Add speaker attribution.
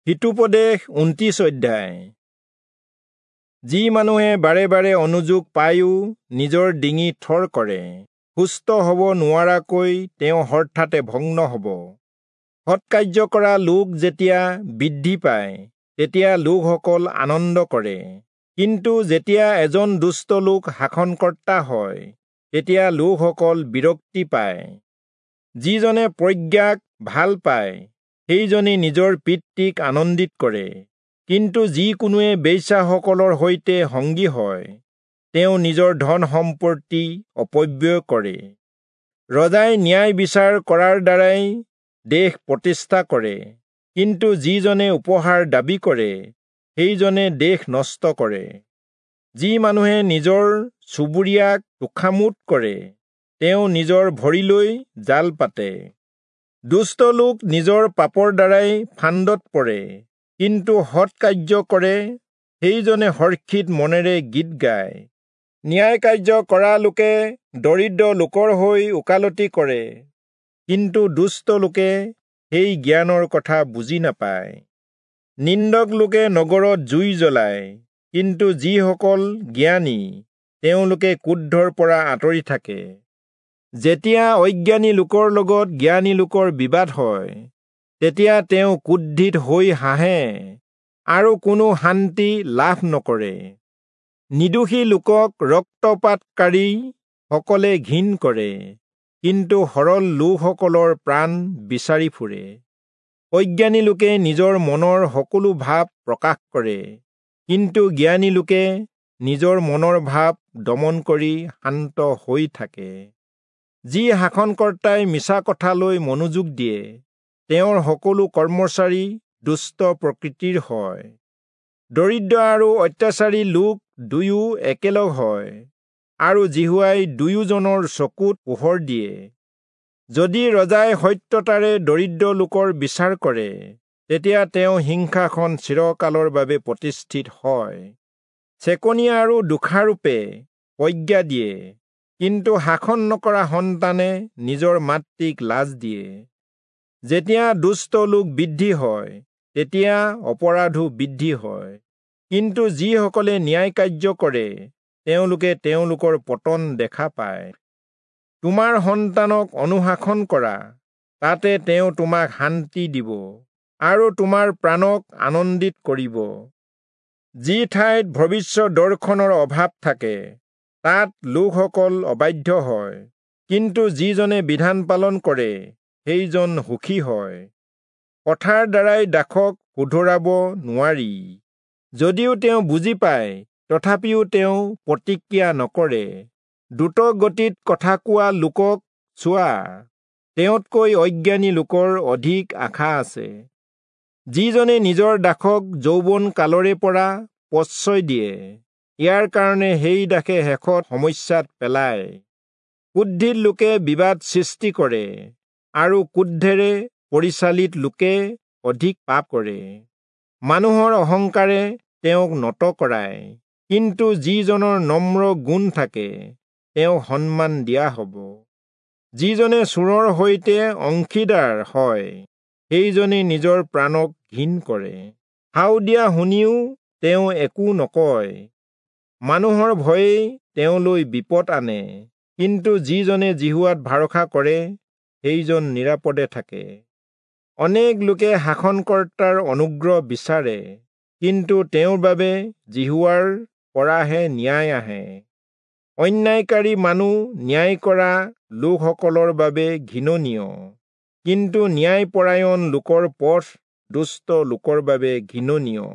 Speaker 1: হিতোপদেশ 29 অধ্যায়। যি মানুহে বাৰে বাৰে অনুযোগ পায়ো নিজৰ ডিঙি থৰ কৰে, সুস্থ হ'ব নোৱাৰাকৈ তেওঁ হঠাতে ভগ্ন হ'ব। সৎকাৰ্য কৰা লোক যেতিয়া বৃদ্ধি পায়, তেতিয়া লোকসকল আনন্দ কৰে। কিন্তু যেতিয়া এজন দুষ্ট লোক শাসনকৰ্তা হয়, তেতিয়া লোকসকল বিৰক্তি পায়। যিজনে প্ৰজ্ঞাক ভাল পায়, সেইজনে নিজৰ পিতৃক আনন্দিত কৰে। কিন্তু যিকোনোৱে বেশ্যাসকলৰ সৈতে সংগী হয়, তেওঁ নিজৰ ধন সম্পত্তি অপব্যয় কৰে। ৰজাই ন্যায় বিচাৰ কৰাৰ দ্বাৰাই দেশ প্ৰতিষ্ঠা কৰে, কিন্তু যিজনে উপহাৰ দাবী কৰে, সেইজনে দেশ নষ্ট কৰে। যি মানুহে নিজৰ চুবুৰীয়াক তোষামোদ কৰে, তেওঁ নিজৰ ভৰিলৈ জাল পাতে। দুষ্ট লোক নিজৰ পাপৰ দ্বাৰাই ফান্দত পৰে, কিন্তু সৎকাৰ্য কৰে সেইজনে হৰ্ষিত মনেৰে গীত গায়। ন্যায় কাৰ্য কৰা লোকে দৰিদ্ৰ লোকৰ হৈ ওকালতি কৰে, কিন্তু দুষ্ট লোকে সেই জ্ঞানৰ কথা বুজি নাপায়। নিন্দক লোকে নগৰত জুই জ্বলায়, কিন্তু যিসকল জ্ঞানী তেওঁলোকে ক্ৰোধৰ পৰা আঁতৰি থাকে। যেতিয়া অজ্ঞানী লোকৰ লগত জ্ঞানী লোকৰ বিবাদ হয়, তেতিয়া তেওঁ ক্ৰোধিত হৈ হাঁহে আৰু কোনো শান্তি লাভ নকৰে। নিৰ্দোষী লোকক ৰক্তপাতকাৰী সকলে ঘিণ কৰে, কিন্তু সৰল লোকসকলৰ প্ৰাণ বিচাৰি ফুৰে। অজ্ঞানী লোকে নিজৰ মনৰ সকলো ভাৱ প্ৰকাশ কৰে, কিন্তু জ্ঞানী লোকে নিজৰ মনৰ ভাৱ দমন কৰি শান্ত হৈ থাকে। যি শাসনকৰ্তাই মিছা কথালৈ মনোযোগ দিয়ে, তেওঁৰ সকলো কৰ্মচাৰী দুষ্ট প্ৰকৃতিৰ হয়। দৰিদ্ৰ আৰু অত্যাচাৰী লোক দুয়ো একেলগ হয়, আৰু যিহোৱাই দুয়োজনৰ চকুত পোহৰ দিয়ে। যদি ৰজাই সত্যতাৰে দৰিদ্ৰ লোকৰ বিচাৰ কৰে, তেতিয়া তেওঁ সিংহাসন চিৰকালৰ বাবে প্ৰতিষ্ঠিত হয়। চেকনি আৰু দোষাৰোপে প্ৰজ্ঞা দিয়ে, কিন্তু শাসন নকৰা সন্তানে নিজৰ মাতৃক লাজ দিয়ে। যেতিয়া দুষ্ট লোক বৃদ্ধি হয়, তেতিয়া অপৰাধো বৃদ্ধি হয়, কিন্তু যিসকলে ন্যায় কাৰ্য কৰে, তেওঁলোকে তেওঁলোকৰ পতন দেখা পায়। তোমাৰ সন্তানক অনুশাসন কৰা, তাতে তেওঁ তোমাক শান্তি দিব আৰু তোমাৰ প্ৰাণক আনন্দিত কৰিব। যি ঠাইত ভৱিষ্য দৰ্শনৰ অভাৱ থাকে, তাত লোকসকল অবাধ্য হয়, কিন্তু যিজনে বিধান পালন কৰে, সেইজন সুখী হয়। কথাৰ দ্বাৰাই দাসক শুধৰাব নোৱাৰি, যদিও তেওঁ বুজি পায়, তথাপিও তেওঁ প্ৰতিক্ৰিয়া নকৰে। দ্ৰুত গতিত কথা কোৱা লোকক চোৱা, তেওঁতকৈ অজ্ঞানী লোকৰ অধিক আশা আছে। যিজনে নিজৰ দাসক যৌৱন কালৰে পৰা প্ৰশ্ৰয় দিয়ে, ইয়াৰ কাৰণে সেই দাসে শেষত সমস্যাত পেলায়। ক্ৰোধিত লোকে বিবাদ সৃষ্টি কৰে, আৰু ক্ৰোধেৰে পৰিচালিত লোকে অধিক পাপ কৰে। মানুহৰ অহংকাৰে তেওঁক নত কৰায়, কিন্তু যিজনৰ নম্ৰ গুণ থাকে, তেওঁক সন্মান দিয়া হ'ব। যিজনে চোৰৰ সৈতে অংশীদাৰ হয়, সেইজনে নিজৰ প্ৰাণক ঘিণ কৰে। শাও দিয়া শুনিও তেওঁ একো নকয়। মানুহৰ ভয়েই তেওঁলৈ বিপদ আনে, কিন্তু যিজনে যিহোৱাত ভৰসা কৰে, সেইজন নিৰাপদে থাকে। অনেক লোকে শাসনকৰ্তাৰ অনুগ্ৰহ বিচাৰে, কিন্তু তেওঁৰ বাবে যিহোৱাৰ পৰাহে ন্যায় আহে। অন্যায়কাৰী মানুহ ন্যায় কৰা লোকসকলৰ বাবে ঘৃণনীয়, কিন্তু ন্যায়পৰায়ণ লোকৰ পথ দুষ্ট লোকৰ বাবে ঘৃণনীয়।